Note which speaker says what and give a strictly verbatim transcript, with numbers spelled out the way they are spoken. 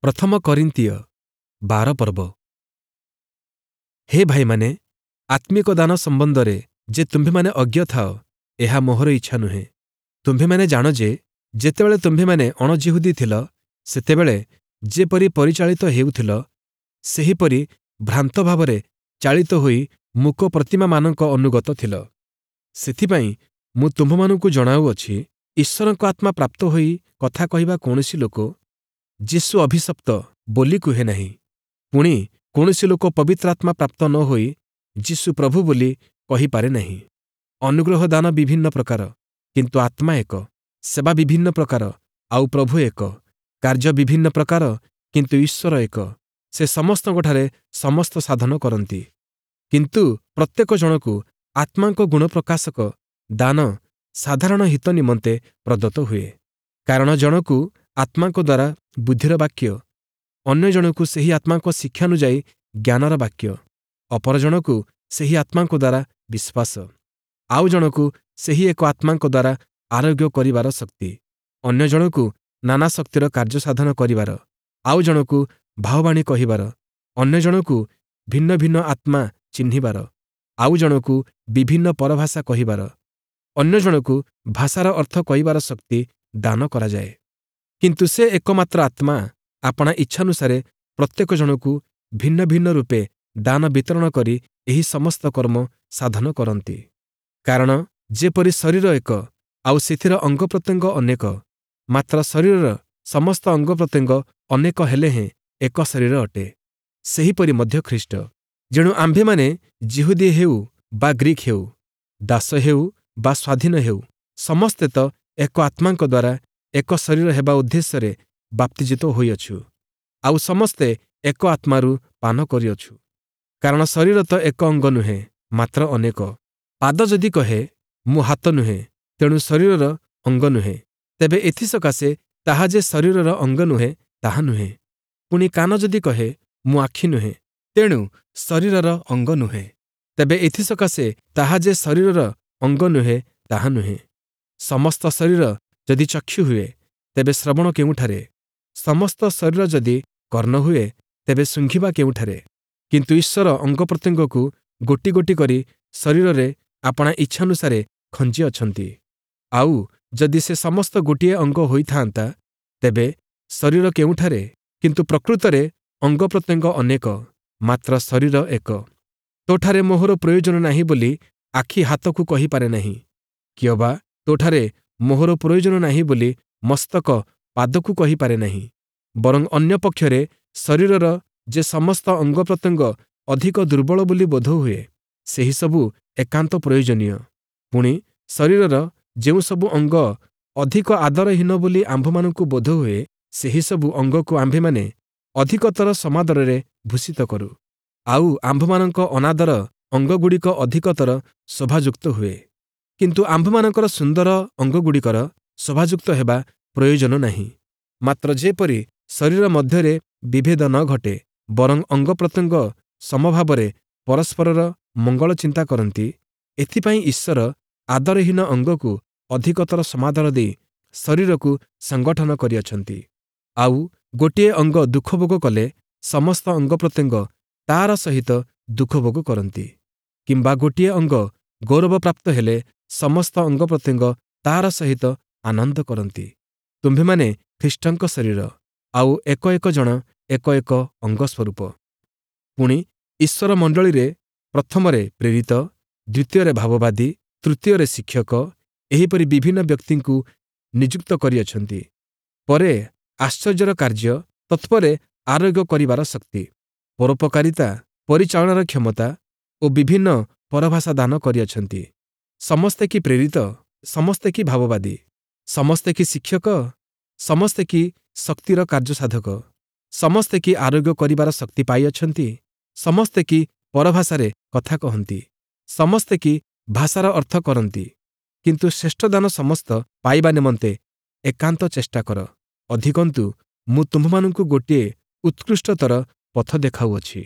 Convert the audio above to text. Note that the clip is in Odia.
Speaker 1: ପ୍ରଥମ କରିନ୍ଥୀୟ ବାର ପର୍ବ। ହେ ଭାଇମାନେ, ଆତ୍ମିକ ଦାନ ସମ୍ବନ୍ଧରେ ଯେ ତୁମ୍ଭେମାନେ ଅଜ୍ଞ ଥାଅ, ଏହା ମୋହର ଇଚ୍ଛା ନୁହେଁ। ତୁମ୍ଭେମାନେ ଜାଣ ଯେ ଯେତେବେଳେ ତୁମ୍ଭେମାନେ ଅଣଯିହୂଦୀ ଥିଲ, ସେତେବେଳେ ଯେପରି ପରିଚାଳିତ ହେଉଥିଲ, ସେହିପରି ଭ୍ରାନ୍ତ ଭାବରେ ଚାଳିତ ହୋଇ ମୂକ ପ୍ରତିମାମାନଙ୍କ ଅନୁଗତ ଥିଲ। ସେଥିପାଇଁ ମୁଁ ତୁମ୍ଭମାନଙ୍କୁ ଜଣାଉଅଛି, ଈଶ୍ୱରଙ୍କ ଆତ୍ମା ପ୍ରାପ୍ତ ହୋଇ କଥା କହିବା କୌଣସି ଲୋକ ଯୀଶୁ ଅଭିଶପ୍ତ ବୋଲି କୁହେ ନାହିଁ। ପୁଣି କୌଣସି ଲୋକ ପବିତ୍ର ଆତ୍ମା ପ୍ରାପ୍ତ ନ ହୋଇ ଯୀଶୁ ପ୍ରଭୁ ବୋଲି କହିପାରେ ନାହିଁ। ଅନୁଗ୍ରହ ଦାନ ବିଭିନ୍ନ ପ୍ରକାର, କିନ୍ତୁ ଆତ୍ମା ଏକ। ସେବା ବିଭିନ୍ନ ପ୍ରକାର, ଆଉ ପ୍ରଭୁ ଏକ। କାର୍ଯ୍ୟ ବିଭିନ୍ନ ପ୍ରକାର, କିନ୍ତୁ ଈଶ୍ୱର ଏକ। ସେ ସମସ୍ତଙ୍କଠାରେ ସମସ୍ତ ସାଧନ କରନ୍ତି। କିନ୍ତୁ ପ୍ରତ୍ୟେକ ଜଣକୁ ଆତ୍ମାଙ୍କ ଗୁଣ ପ୍ରକାଶକ ଦାନ ସାଧାରଣ ହିତ ନିମନ୍ତେ ପ୍ରଦତ୍ତ ହୁଏ। କାରଣ ଜଣକୁ ଆତ୍ମାଙ୍କ ଦ୍ୱାରା ବୁଦ୍ଧିର ବାକ୍ୟ, ଅନ୍ୟ ଜଣକୁ ସେହି ଆତ୍ମାଙ୍କ ଶିକ୍ଷାନୁଯାୟୀ ଜ୍ଞାନର ବାକ୍ୟ, ଅପର ଜଣକୁ ସେହି ଆତ୍ମାଙ୍କ ଦ୍ୱାରା ବିଶ୍ୱାସ, ଆଉ ଜଣକୁ ସେହି ଏକ ଆତ୍ମାଙ୍କ ଦ୍ୱାରା ଆରୋଗ୍ୟ କରିବାର ଶକ୍ତି, ଅନ୍ୟ ଜଣକୁ ନାନା ଶକ୍ତିର କାର୍ଯ୍ୟ ସାଧନ କରିବାର, ଆଉ ଜଣକୁ ଭାବବାଣୀ କହିବାର, ଅନ୍ୟ ଜଣକୁ ଭିନ୍ନ ଭିନ୍ନ ଆତ୍ମା ଚିହ୍ନିବାର, ଆଉ ଜଣକୁ ବିଭିନ୍ନ ପରଭାଷା କହିବାର, ଅନ୍ୟ ଜଣକୁ ଭାଷାର ଅର୍ଥ କହିବାର ଶକ୍ତି ଦାନ କରାଯାଏ। କିନ୍ତୁ ସେ ଏକମାତ୍ର ଆତ୍ମା ଆପଣା ଇଚ୍ଛାନୁସାରେ ପ୍ରତ୍ୟେକ ଜଣକୁ ଭିନ୍ନ ଭିନ୍ନ ରୂପେ ଦାନ ବିତରଣ କରି ଏହି ସମସ୍ତ କର୍ମ ସାଧନ କରନ୍ତି। କାରଣ ଯେପରି ଶରୀର ଏକ, ଆଉ ସେଥିର ଅଙ୍ଗପ୍ରତ୍ୟଙ୍ଗ ଅନେକ, ମାତ୍ର ଶରୀରର ସମସ୍ତ ଅଙ୍ଗପ୍ରତ୍ୟଙ୍ଗ ଅନେକ ହେଲେ ହେଁ ଏକ ଶରୀର ଅଟେ, ସେହିପରି ମଧ୍ୟ ଖ୍ରୀଷ୍ଟ। ଯେଣୁ ଆମ୍ଭେମାନେ ଯିହୁଦୀ ହେଉ ବା ଗ୍ରୀକ୍ ହେଉ, ଦାସ ହେଉ ବା ସ୍ୱାଧୀନ ହେଉ, ସମସ୍ତେ ତ ଏକ ଆତ୍ମାଙ୍କ ଦ୍ୱାରା ଏକ ଶରୀର ହେବା ଉଦ୍ଦେଶ୍ୟରେ ବାପ୍ତିଜିତ ହୋଇଅଛୁ, ଆଉ ସମସ୍ତେ ଏକ ଆତ୍ମାରୁ ପାନ କରିଅଛୁ। କାରଣ ଶରୀର ତ ଏକ ଅଙ୍ଗ ନୁହେଁ, ମାତ୍ର ଅନେକ। ପାଦ ଯଦି କହେ, ମୁଁ ହାତ ନୁହେଁ, ତେଣୁ ଶରୀରର ଅଙ୍ଗ ନୁହେଁ, ତେବେ ଏଥିସକାଶେ ତାହା ଯେ ଶରୀରର ଅଙ୍ଗ ନୁହେଁ, ତାହା ନୁହେଁ। ପୁଣି କାନ ଯଦି କହେ, ମୁଁ ଆଖି ନୁହେଁ, ତେଣୁ ଶରୀରର ଅଙ୍ଗ ନୁହେଁ, ତେବେ ଏଥିସକାଶେ ତାହା ଯେ ଶରୀରର ଅଙ୍ଗ ନୁହେଁ, ତାହା ନୁହେଁ। ସମସ୍ତ ଶରୀର ଯଦି ଚକ୍ଷୁ ହୁଏ, ତେବେ ଶ୍ରବଣ କେଉଁଠାରେ? ସମସ୍ତ ଶରୀର ଯଦି କର୍ଣ୍ଣ ହୁଏ, ତେବେ ଶୁଙ୍ଘିବା କେଉଁଠାରେ? କିନ୍ତୁ ଈଶ୍ୱର ଅଙ୍ଗପ୍ରତ୍ୟଙ୍ଗକୁ ଗୋଟି ଗୋଟି କରି ଶରୀରରେ ଆପଣା ଇଚ୍ଛାନୁସାରେ ଖଞ୍ଜି ଅଛନ୍ତି। ଆଉ ଯଦି ସେ ସମସ୍ତ ଗୋଟିଏ ଅଙ୍ଗ ହୋଇଥାନ୍ତା, ତେବେ ଶରୀର କେଉଁଠାରେ? କିନ୍ତୁ ପ୍ରକୃତରେ ଅଙ୍ଗପ୍ରତ୍ୟଙ୍ଗ ଅନେକ, ମାତ୍ର ଶରୀର ଏକ। ତୋଠାରେ ମୋହର ପ୍ରୟୋଜନ ନାହିଁ ବୋଲି ଆଖି ହାତକୁ କହିପାରେ ନାହିଁ, କିଅବା ତୋଠାରେ ମୋହର ପ୍ରୟୋଜନ ନାହିଁ ବୋଲି ମସ୍ତକ ପାଦକୁ କହିପାରେ ନାହିଁ। ବରଂ ଅନ୍ୟ ପକ୍ଷରେ ଶରୀରର ଯେ ସମସ୍ତ ଅଙ୍ଗପ୍ରତ୍ୟଙ୍ଗ ଅଧିକ ଦୁର୍ବଳ ବୋଲି ବୋଧ ହୁଏ, ସେହିସବୁ ଏକାନ୍ତ ପ୍ରୟୋଜନୀୟ। ପୁଣି ଶରୀରର ଯେଉଁସବୁ ଅଙ୍ଗ ଅଧିକ ଆଦରହୀନ ବୋଲି ଆମ୍ଭମାନଙ୍କୁ ବୋଧ ହୁଏ, ସେହିସବୁ ଅଙ୍ଗକୁ ଆମ୍ଭେମାନେ ଅଧିକତର ସମାଦରରେ ଭୂଷିତ କରୁ, ଆଉ ଆମ୍ଭମାନଙ୍କ ଅନାଦର ଅଙ୍ଗଗୁଡ଼ିକ ଅଧିକତର ଶୋଭାଯୁକ୍ତ ହୁଏ। କିନ୍ତୁ ଆମ୍ଭମାନଙ୍କର ସୁନ୍ଦର ଅଙ୍ଗଗୁଡ଼ିକର ଶୋଭାଯୁକ୍ତ ହେବା ପ୍ରୟୋଜନ ନାହିଁ। ମାତ୍ର ଯେପରି ଶରୀର ମଧ୍ୟରେ ବିଭେଦ ନ ଘଟେ, ବରଂ ଅଙ୍ଗପ୍ରତ୍ୟଙ୍ଗ ସମଭାବରେ ପରସ୍ପରର ମଙ୍ଗଳ ଚିନ୍ତା କରନ୍ତି, ଏଥିପାଇଁ ଈଶ୍ୱର ଆଦରହୀନ ଅଙ୍ଗକୁ ଅଧିକତର ସମାଦର ଦେଇ ଶରୀରକୁ ସଂଗଠନ କରିଅଛନ୍ତି। ଆଉ ଗୋଟିଏ ଅଙ୍ଗ ଦୁଃଖଭୋଗ କଲେ ସମସ୍ତ ଅଙ୍ଗପ୍ରତ୍ୟଙ୍ଗ ତାର ସହିତ ଦୁଃଖଭୋଗ କରନ୍ତି, କିମ୍ବା ଗୋଟିଏ ଅଙ୍ଗ ଗୌରବପ୍ରାପ୍ତ ହେଲେ ସମସ୍ତ ଅଙ୍ଗପ୍ରତ୍ୟଙ୍ଗ ତାର ସହିତ ଆନନ୍ଦ କରନ୍ତି। ତୁମ୍ଭେମାନେ ଖ୍ରୀଷ୍ଟଙ୍କ ଶରୀର, ଆଉ ଏକ ଏକ ଜଣ ଏକ ଏକ ଅଙ୍ଗ ସ୍ୱରୂପ। ପୁଣି ଈଶ୍ୱର ମଣ୍ଡଳୀରେ ପ୍ରଥମରେ ପ୍ରେରିତ, ଦ୍ୱିତୀୟରେ ଭାବବାଦୀ, ତୃତୀୟରେ ଶିକ୍ଷକ, ଏହିପରି ବିଭିନ୍ନ ବ୍ୟକ୍ତିଙ୍କୁ ନିଯୁକ୍ତ କରିଅଛନ୍ତି। ପରେ ଆଶ୍ଚର୍ଯ୍ୟର କାର୍ଯ୍ୟ, ତତ୍ପରେ ଆରୋଗ୍ୟ କରିବାର ଶକ୍ତି, ପରୋପକାରିତା, ପରିଚାଳନାର କ୍ଷମତା ଓ ବିଭିନ୍ନ ପରଭାଷା ଦାନ କରିଅଛନ୍ତି। ସମସ୍ତେ କି ପ୍ରେରିତ? ସମସ୍ତେ କି ଭାବବାଦୀ? ସମସ୍ତେ କି ଶିକ୍ଷକ? ସମସ୍ତେ କି ଶକ୍ତିର କାର୍ଯ୍ୟସାଧକ? ସମସ୍ତେ କି ଆରୋଗ୍ୟ କରିବାର ଶକ୍ତି ପାଇଅଛନ୍ତି? ସମସ୍ତେ କି ପରଭାଷାରେ କଥା କହନ୍ତି? ସମସ୍ତେ କି ଭାଷାର ଅର୍ଥ କରନ୍ତି? କିନ୍ତୁ ଶ୍ରେଷ୍ଠ ଦାନ ସମସ୍ତ ପାଇବା ନିମନ୍ତେ ଏକାନ୍ତ ଚେଷ୍ଟା କର। ଅଧିକନ୍ତୁ ମୁଁ ତୁମ୍ଭମାନଙ୍କୁ ଗୋଟିଏ ଉତ୍କୃଷ୍ଟତର ପଥ ଦେଖାଉଅଛି।